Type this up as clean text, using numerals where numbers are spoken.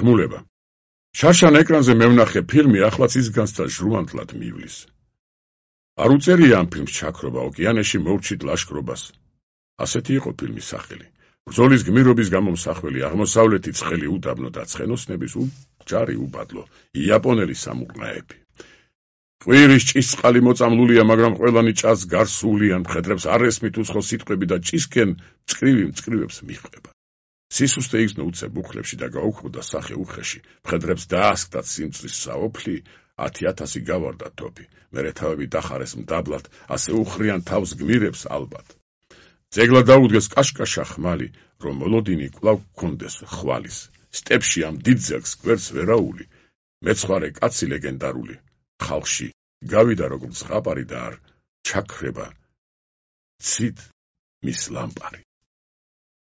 ხმულება. შარშან ეკრანზე მევნახე ფილმი ახლაც ის განსცა ჟრუანტლად მივლის. არ უწერია ამ ფილმს ჩაქრობა, ოკეანეში მოვჩით ლაშქრობას. ასეთი იყო ფილმის სახელი. ბრძოლის გმირობის გამომსახველი, აღმოსავლეთი ცხელი უდაბნო და ცხენოსნების ჯარი უბადლო, იაპონელი სამურყნაები. ყვირის ჭისწყალი მოწამლულია, მაგრამ ყველანი ჭას გარსულიან, მხედრებს არ ესმით უცხო სიტყვები და ჭისკენ მწყრივებს მიჰყვება. სისუსტე იგზნო უცებ უხლებში და გაუქმდა სახე უხეში, მხედრებს დაასკდათ სიმწრის საოფლი, 10,000 გავარდა თოფი, მერე თავები დახარეს მდაბლად, ასე უხრიან თავს გმირებს ალბათ. ძეგლა დაუდგეს კაშკაშა ხმალი, რომ მოლოდინი კვლავ გქონდეს ხვალის. სტეპში ამ დიდ ძეგლს გვერდს ვერაული, მეცხვარე კაცი ლეგენდარული. ხალხში გავიდა როგორც ზღაპარი და არ ჩაქრება ცით მის ლამპარი.